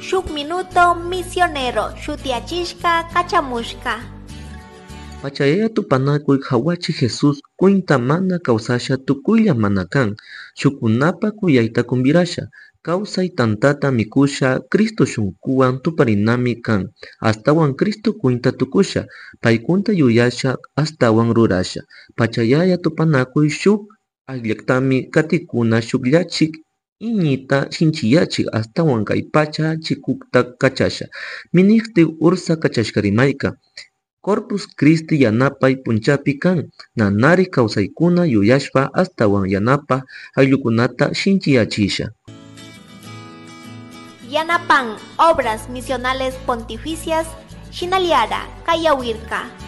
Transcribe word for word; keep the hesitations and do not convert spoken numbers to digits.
Shuk minuto misionero shutiachishka kachamushka. Pachayaya tupanakuy hawachi Jesus cuinta mana kawsasha tukuylla mana kan shukunapa kuyayta kumbirasha kawsay tantata mikusha Cristo shunkuwan tuparinami kan astawan Cristo cuinta tukusha paykunta yuyasha astawan rurasha pachayaya tupanakuy shuk akllaktami katikuna shukllachik iñita sinchiyachik astawan kay pacha chikukta kachasha minishti ursa kachashka rimayka Corpus Christi yanapay punchapi kan nanarik kawsaykuna yuyashpa astawan yanapa ayllukunata sinchiyachisha. Yanapan Obras Misionales Pontificias Shinaliara Kayawirka.